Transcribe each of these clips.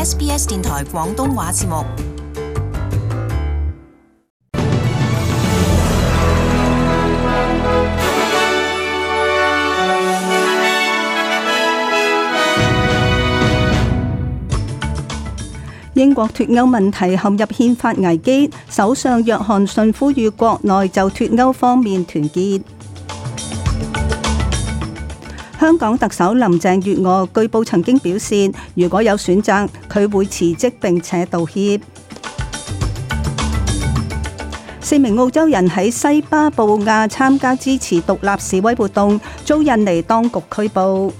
SBS 電台廣東話節目。英國脫歐問題陷入憲法危機，首相約翰遜呼籲國內就脫歐方面團結。香港特首林鄭月娥據報曾經表示，如果有選擇，佢會辭職並且道歉。4名澳洲人喺西巴布亞參加支持獨立示威活動，遭印尼當局拘捕。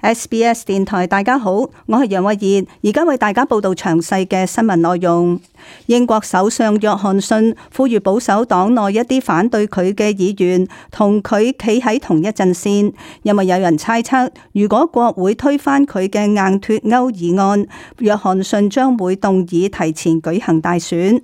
SBS 電台，大家好，我係楊慧儀，而家為大家報道詳細嘅新聞內容。英國首相約翰遜呼籲保守黨內一啲反對佢嘅議員同佢企喺同一陣線，因為有人猜測，如果國會推翻佢嘅硬脫歐議案，約翰遜將會動議提前舉行大選。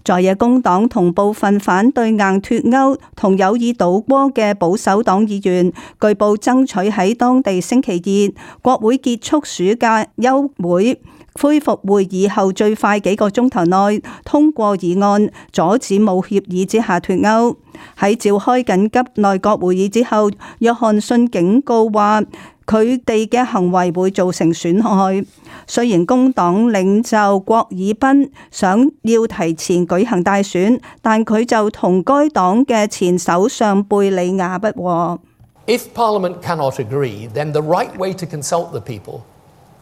在野工黨同部分反對硬脫歐同有意倒戈嘅保守黨議員，據報爭取喺當地星期二國會結束暑假休會恢復會議後最快幾個鐘頭內通過議案，阻止冇協議之下脫歐。喺召開緊急內閣會議之後，約翰遜警告話佢哋嘅行為會造成損害。雖然工黨領袖郭爾賓想要提前舉行大選，但佢就同該黨嘅前首相貝理亞不和。If Parliament cannot agree, then the right way to consult the people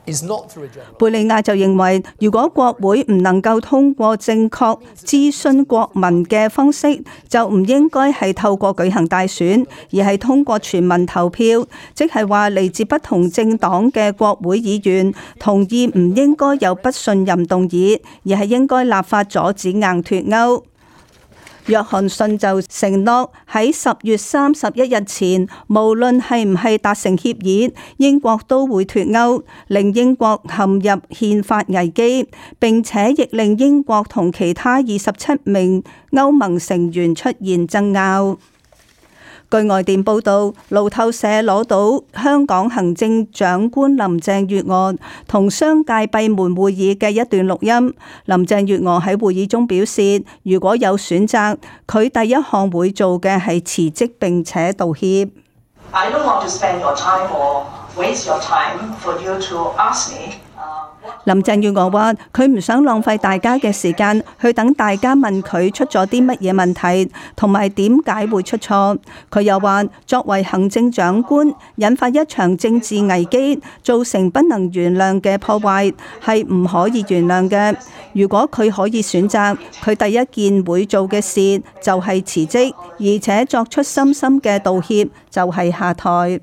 is not through a general. 貝理亞就認為，如果國會唔能夠通過正確諮詢國民嘅方式，就唔應該係透過舉行大選，而係通過全民投票，即係話嚟自不同政黨嘅國會議員同意唔應該有不信任動議，而係應該立法阻止硬脫歐。約翰遜就承諾喺10月31日前，無論係唔係達成協議，英國都會脫歐，令英國陷入憲法危機，並且亦令英國同其他27名歐盟成員出現爭拗。據外電報道，路透社攞到香港行政長官林鄭月娥同商界閉門會議嘅一段錄音。林鄭月娥喺會議中表示，如果有選擇，佢第一項會做嘅係辭職並且道歉。I don't want to spend your time or waste your time for you to ask me. 林鄭月娥話：佢唔想浪費大家嘅時間去等大家問佢出咗啲乜嘢問題，同埋點解會出錯。佢又話：作為行政長官，引發一場政治危機，造成不能原諒嘅破壞，係唔可以原諒嘅。如果佢可以選擇，佢第一件會做嘅事就係辭職，而且作出深深嘅道歉，就係下台。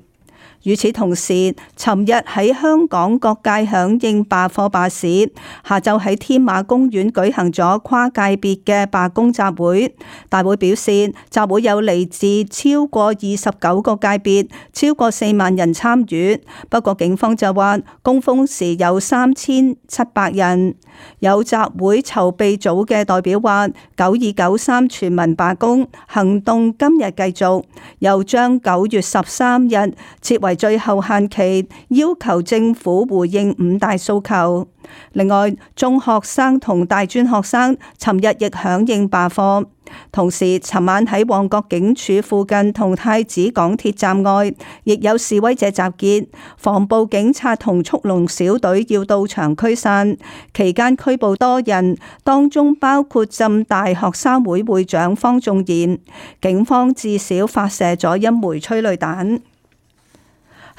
與此同時，尋日喺香港各界響應罷課罷市，下晝喺天馬公園舉行咗跨界別嘅罷工集會。大會表示，集會有嚟自超過29個界別，超過4萬人參與。不過警方就話，高峰時有3700人。有集會籌備組嘅代表話，9293全民罷工行動今日繼續，又將9月13日設為最後限期，要求政府回應5大訴求。另外，中學生同大專學生尋日亦響應罷課。同時，尋晚喺旺角警署附近同太子港鐵站外，亦有示威者集結，防暴警察同速龍小隊要到場驅散，期間拘捕多人，當中包括浸大學生會會長方仲賢。警方至少發射咗1枚催淚彈。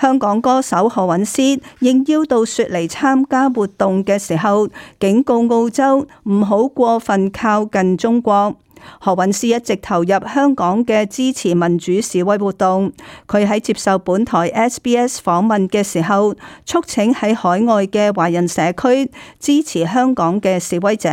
香港歌手何韻詩應邀到雪梨參加活動嘅時候，警告澳洲唔好過分靠近中國。何韻詩一直投入香港嘅支持民主示威活動。佢喺接受本台 SBS 訪問嘅時候，促請喺海外嘅華人社區支持香港嘅示威者。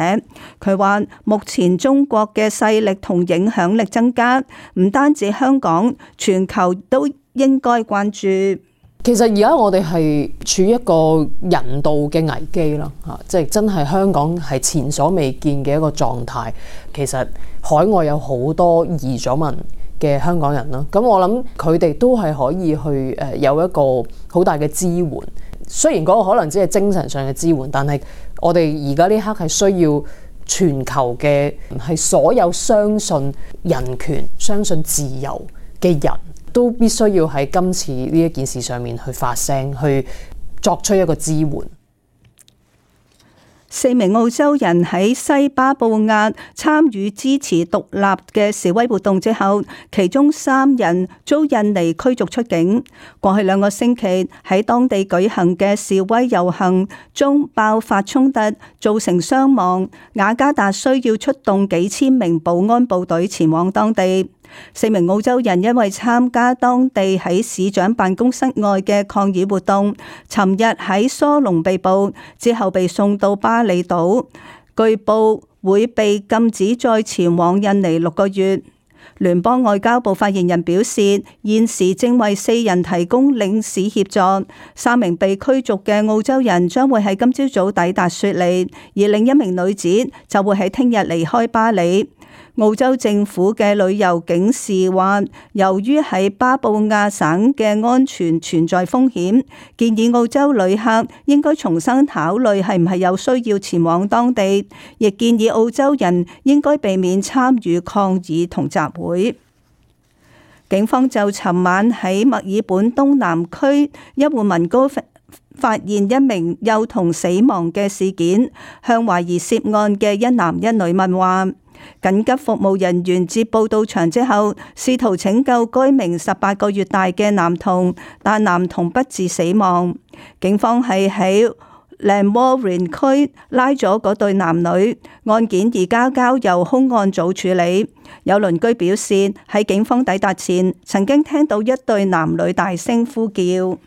佢話：目前中國嘅勢力同影響力增加，唔單止香港，全球都應該關注。其實而家我哋係處於一個人道嘅危機啦，即係真係香港係前所未見嘅一個狀態。其實海外有好多移咗民嘅香港人啦。咁我諗佢哋都係可以去有一個好大嘅支援。雖然嗰個可能只係精神上嘅支援，但係我哋而家呢刻係需要全球嘅係所有相信人權、相信自由嘅人都必須要喺今次呢一件事上面去發聲，去作出一個支援。4名澳洲人喺西巴布亞參與支持獨立嘅示威活動之後，其中3人遭印尼驅逐出境。過去2個星期喺當地舉行嘅示威遊行中爆發衝突，造成傷亡。雅加達需要出動幾千名保安部隊前往當地。4名澳洲人因為參加當地喺市長辦公室外嘅抗議活動，尋日喺疏龍被捕，之後被送到巴厘島，據報會被禁止再前往印尼6個月。聯邦外交部發言人表示，現時正為4人提供領事協助。3名被驅逐嘅澳洲人將會喺今朝早抵達雪梨，而另一名女子就會喺聽日離開巴厘。澳洲政府嘅旅遊警示話，由於喺巴布亞省嘅安全存在風險，建議澳洲旅客應該重新考慮係唔係有需要前往當地，亦建議澳洲人應該避免參與抗議同集會。警方就尋晚喺墨爾本東南區一戶民居發現一名幼童死亡嘅事件，向懷疑涉案嘅一男一女問話。緊急服務人員接報到場之後，試圖拯救該名18個月大嘅男童，但男童不治死亡。警方係喺Lanwarren區拉咗嗰對男女，案件而家交由兇案組處理。有鄰居表示，喺警方抵達前，曾經聽到一對男女大聲呼叫。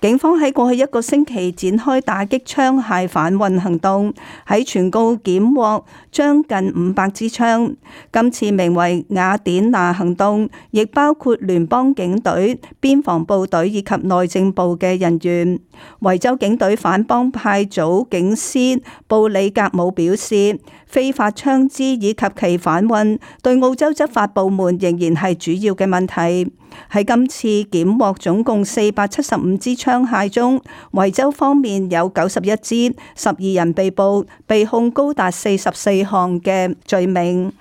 警方喺過去1個星期展開打擊槍械販運行動，喺全澳檢獲將近500支槍。今次名為雅典娜行動，亦包括聯邦警隊、邊防部隊以及內政部嘅人員。維州警隊反幫派組警司布里格姆表示，非法槍支以及其販運對澳洲執法部門仍然係主要嘅問題。喺今次檢獲總共475支槍械中，維州方面有91支，12人被捕，被控高達44項嘅罪名。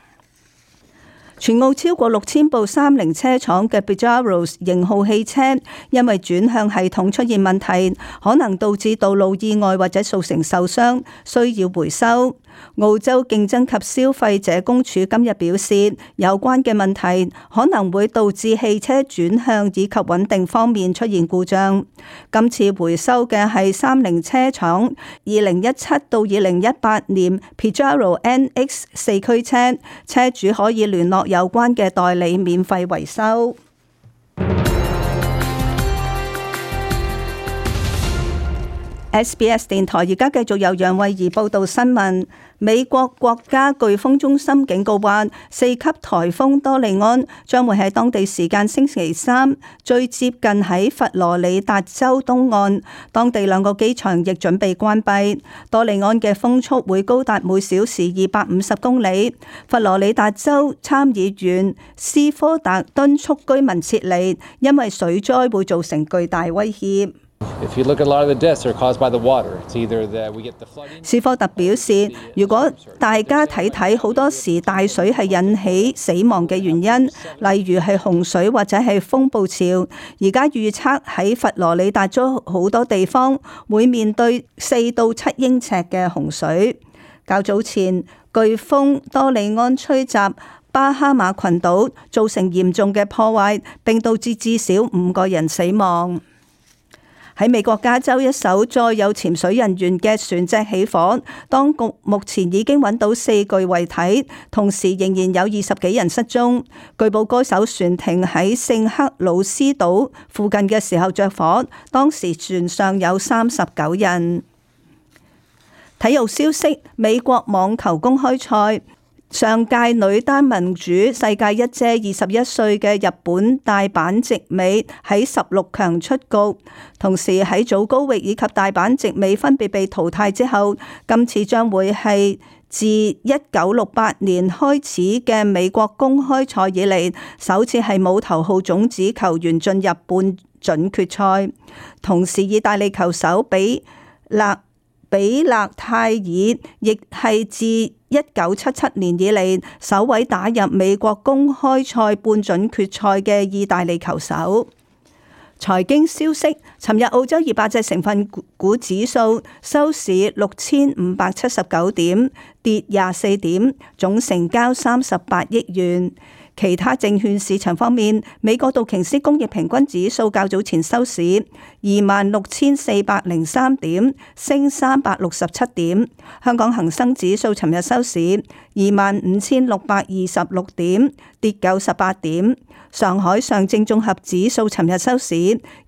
全澳超過6000部30車廠嘅 Pajero 型號汽車，因為轉向系統出現問題，可能導致道路意外或者造成受傷，需要回收。澳洲競爭及消費者公署今日表示，有關嘅問題可能會導致汽車轉向以及穩定方面出現故障。今次回收嘅係30車廠2017到2018年 Pajero NX 4驅車，車主可以聯絡有關嘅代理免費維修。SBS 電台而家繼續由楊慧儀報道新聞。美國國家颶風中心警告話，4級颱風多利安將會喺當地時間星期3最接近喺佛羅里達州東岸，當地2個機場亦準備關閉。多利安嘅風速會高達每小時250公里。佛羅里達州參議員斯科特敦促居民撤離，因為水災會造成巨大威脅。斯科特表示，如果大家睇好多時大水係引起死亡嘅原因，例如係洪水或者係風暴潮，而家預測喺佛羅里達州好多地方會面對4到7英尺嘅洪水。較早前，颶風多利安吹襲巴哈馬群島，造成嚴重嘅破壞，並導致至少5個人死亡。喺美國加州一艘載有潛水人員嘅船隻起火，當局目前已經揾到4具遺體，同時仍然有20幾人失蹤。據報該艘船停喺聖克魯斯島附近嘅時候着火，當時船上有39人。體育消息：美國網球公開賽，上屆女單盟主世界一姐21歲嘅日本大阪直美喺16強出局，同時喺祖高域以及大阪直美分別被淘汰之後，今次將會係自1968年開始嘅美國公開賽以嚟，首次係冇頭號種子球員進入半準決賽。同時，意大利球手比勒泰爾亦係自1977年以嚟首位打入美國公開賽半準決賽嘅意大利球手。財經消息，尋日澳洲200隻成分股指數收市6579點，跌24點，總成交38億元。其他證券市場方面，美國道瓊斯工業平均指數較早前收市26,403點，升367點。香港恒生指數尋日收市25,626點，跌98點。上海上證綜合指數尋日收市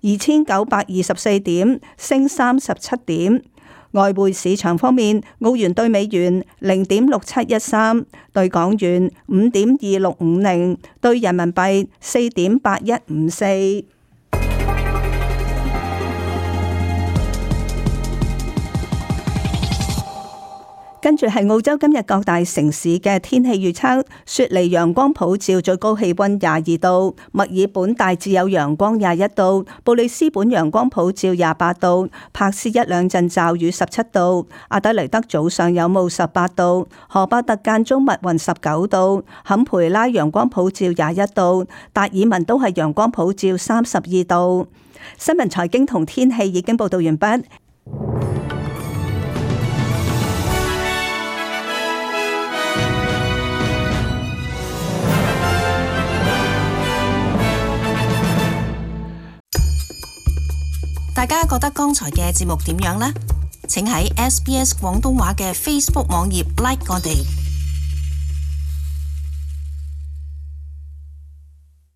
2,924點，升37點。外匯市場方面，澳元兌美元0.6713，兌港元5.2650，兌人民幣4.8154。跟住係澳洲今日各大城市嘅天氣預測：雪梨陽光普照，最高氣溫22度；墨爾本大致有陽光21度；布里斯本陽光普照28度；柏斯一兩陣驟雨17度；阿德雷德早上有霧18度；荷巴特間中密雲19度；坎培拉陽光普照21度；達爾文都係陽光普照32度。新聞財經同天氣已經報道完畢。大家覺得剛才嘅節目點樣呢？請喺SBS 廣東話嘅 Facebook 網頁 like 我哋。